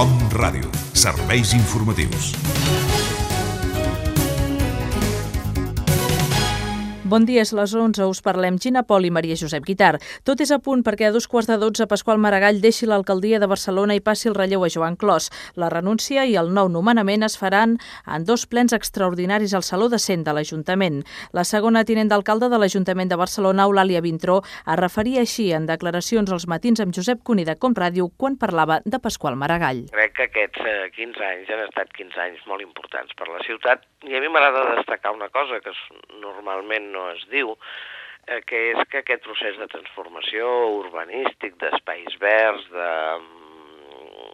Com Ràdio, serveis informatius. Bon dia, és les 11, us parlem Gina Pol i Maria Josep Guitart. Tot és a punt perquè a 2:15 Pasqual Maragall deixi l'alcaldia de Barcelona i passi el relleu a Joan Clos. La renúncia i el nou nomenament es faran en 2 plens extraordinaris al Saló de Cent de l'Ajuntament. La segona tinent d'alcalde de l'Ajuntament de Barcelona, Eulàlia Vintró, es referia així en declaracions als matins amb Josep Cuní de Com Ràdio quan parlava de Pasqual Maragall. Crec que aquests 15 anys han estat 15 anys molt importants per la ciutat i a mi m'agrada destacar una cosa que normalment no es diu, que és que aquest procés de transformació urbanístic, d'espais verds,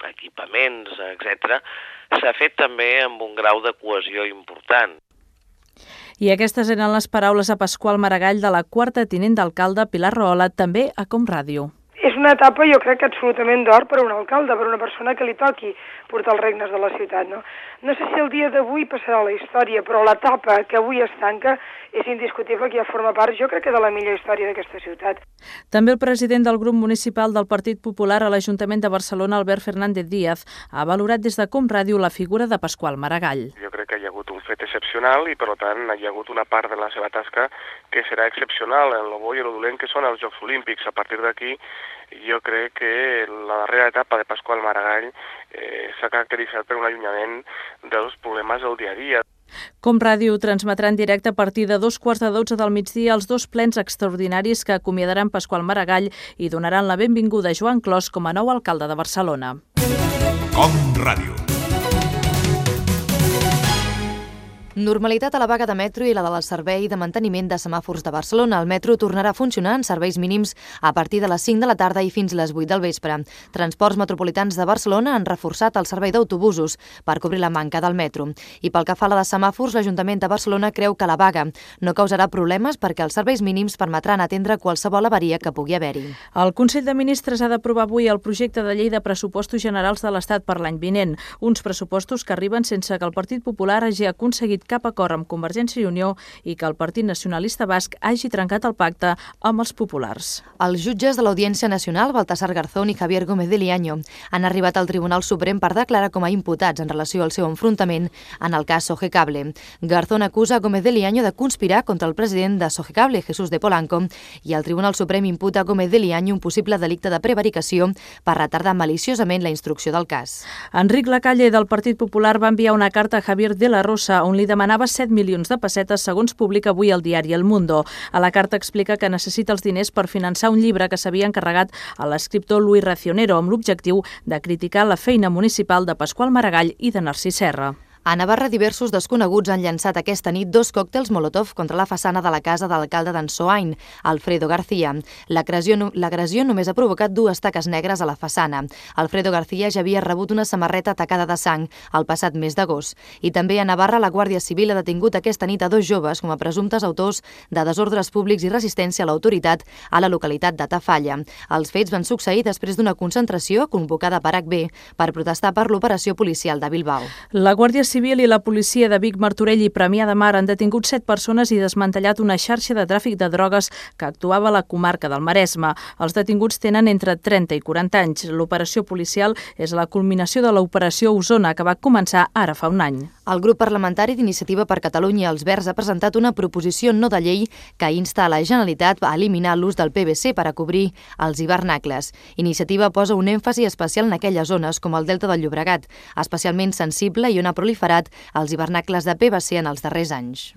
d'equipaments, etc., s'ha fet també amb un grau de cohesió important. I aquestes eren les paraules a Pasqual Maragall de la quarta tinent d'alcalde Pilar Rahola, també a Com Ràdio. És una etapa, jo crec, absolutament d'or per a un alcalde, per a una persona que li toqui portar els regnes de la ciutat, no? No sé si el dia d'avui passarà a la història, però l'etapa que avui es tanca és indiscutible que ja forma part, jo crec que de la millor història d'aquesta ciutat. També el president del grup municipal del Partit Popular a l'Ajuntament de Barcelona, Albert Fernández Díaz, ha valorat des de Com Ràdio la figura de Pasqual Maragall. Jo crec que hi ha hagut un fet excepcional i, per tant, hi ha hagut una part de la seva tasca que serà excepcional en lo bo i en lo dolent que són els Jocs Olímpics. A partir d'aquí, jo crec que la darrera etapa de Pasqual Maragall s'ha caracteritzat per un allunyament dels problemes del dia a dia. Com Ràdio transmetrà en directe a partir de 2:15 del migdia els 2 plens extraordinaris que acomiadaran Pasqual Maragall i donaran la benvinguda a Joan Clos com a nou alcalde de Barcelona. Com Ràdio. Normalitat a la vaga de metro i la del servei de manteniment de semàfors de Barcelona. El metro tornarà a funcionar en serveis mínims a partir de les 5 de la tarda i fins les 8 del vespre. Transports Metropolitans de Barcelona han reforçat el servei d'autobusos per cobrir la manca del metro. I pel que fa a la de semàfors, l'Ajuntament de Barcelona creu que la vaga no causarà problemes perquè els serveis mínims permetran atendre qualsevol avaria que pugui haver-hi. El Consell de Ministres ha d'aprovar avui el projecte de llei de pressupostos generals de l'Estat per l'any vinent. Uns pressupostos que arriben sense que el Partit Popular hagi aconseguit cap acord amb Convergència i Unió i que el Partit Nacionalista Basc hagi trencat el pacte amb els populars. Els jutges de l'Audiència Nacional, Baltasar Garzón i Javier Gómez de Liaño, han arribat al Tribunal Suprem per declarar com a imputats en relació al seu enfrontament en el cas Sogecable. Garzón acusa Gómez de Liaño de conspirar contra el president de Sogecable, Jesús de Polanco, i el Tribunal Suprem imputa a Gómez de Liaño un possible delicte de prevaricació per retardar maliciosament la instrucció del cas. Enric Lacalle, del Partit Popular, va enviar una carta a Javier de la Rosa on li demanava 7 milions de pessetes, segons publica avui el diari El Mundo. A la carta explica que necessita els diners per finançar un llibre que s'havia encarregat a l'escriptor Luis Racionero amb l'objectiu de criticar la feina municipal de Pasqual Maragall i de Narcís Serra. A Navarra, diversos desconeguts han llançat aquesta nit 2 còctels Molotov contra la façana de la casa de l'alcalde d'Ansoain, Alfredo García. L'agressió només ha provocat 2 taques negres a la façana. Alfredo García ja havia rebut una samarreta tacada de sang el passat mes d'agost. I també a Navarra, la Guàrdia Civil ha detingut aquesta nit a 2 joves com a presumptes autors de desordres públics i resistència a l'autoritat a la localitat de Tafalla. Els fets van succeir després d'una concentració convocada per HB per protestar per l'operació policial de Bilbao. La Guàrdia Civil i la policia de Vic, Martorell i Premià de Mar han detingut 7 persones i desmantellat una xarxa de tràfic de drogues que actuava a la comarca del Maresme. Els detinguts tenen entre 30 i 40 anys. L'operació policial és la culminació de l'operació Osona, que va començar ara fa un any. El grup parlamentari d'Iniciativa per Catalunya Els Verds ha presentat una proposició no de llei que insta a la Generalitat a eliminar l'ús del PVC per a cobrir els hivernacles. Iniciativa posa un èmfasi especial en aquelles zones com el Delta del Llobregat, especialment sensible i on ha proliferat els hivernacles de PVC en els darrers anys.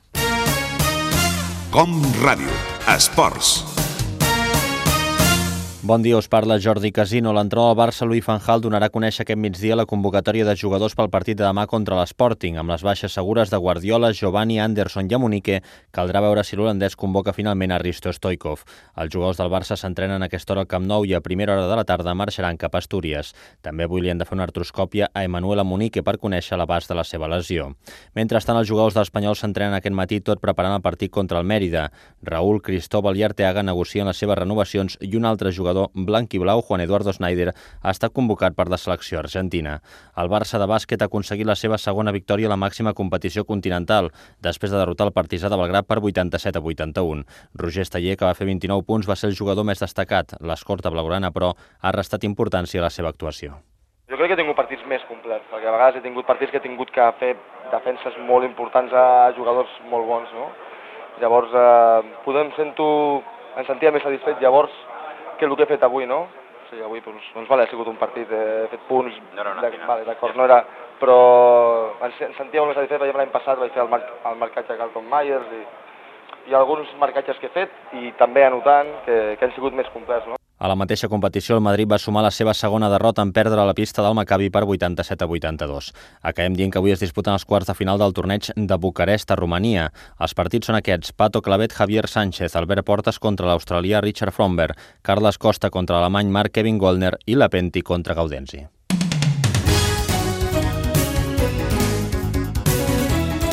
Com Ràdio. Esports. Bon dia, us parla Jordi Casino. L'entrenador del Barça, Louis van Gaal, donarà a conèixer aquest migdia la convocatòria de jugadors pel partit de demà contra l'Sporting. Amb les baixes segures de Guardiola, Giovanni, Anderson i Amunique, caldrà veure si l'holandès convoca finalment a Risto Stoichkov. Els jugadors del Barça s'entrenen a aquesta hora al Camp Nou i a primera hora de la tarda marxaran cap a Astúries. També avui li han de fer una artroscòpia a Emmanuel Amunique per conèixer l'abast de la seva lesió. Mentrestant, els jugadors de l'Espanyol s'entrenen aquest matí tot preparant el partit contra el Mèrida. Raúl, Cristóbal i Arteaga negocien les seves renovacions i un altre jugador blanc i blau, Juan Eduardo Snyder, ha estat convocat per la selecció argentina. El Barça de bàsquet ha aconseguit la seva segona victòria a la màxima competició continental, després de derrotar el Partizà de Belgrad per 87-81. Roger Esteller, que va fer 29 punts, va ser el jugador més destacat. L'escorta blaugrana, però, ha restat importància a la seva actuació. Jo crec que he tingut partits més complet, perquè a vegades he tingut partits que he tingut que fer defenses molt importants a jugadors molt bons, no? Llavors, em sentia més satisfet llavors que el que he fet avui, no? O sigui, avui, doncs, ha sigut un partit, he fet punts, d'acord, no era... Però em sentia molt més satisfet, perquè l'any passat vaig fer el marcatge a Carlton Myers i alguns marcatges que he fet i també anotant que han sigut més complets, no? A la mateixa competició, el Madrid va sumar la seva segona derrota en perdre a la pista del Maccabi per 87-82. Acabem dient que avui es disputen els quarts de final del torneig de Bucarest, a Romania. Els partits són aquests: Pato Clavet, Javier Sánchez, Albert Portas contra l'australià Richard Fromberg, Carles Costa contra l'alemany Mark Kevin Goldner i Lapenti contra Gaudenzi.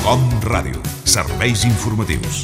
Com Ràdio, serveis informatius.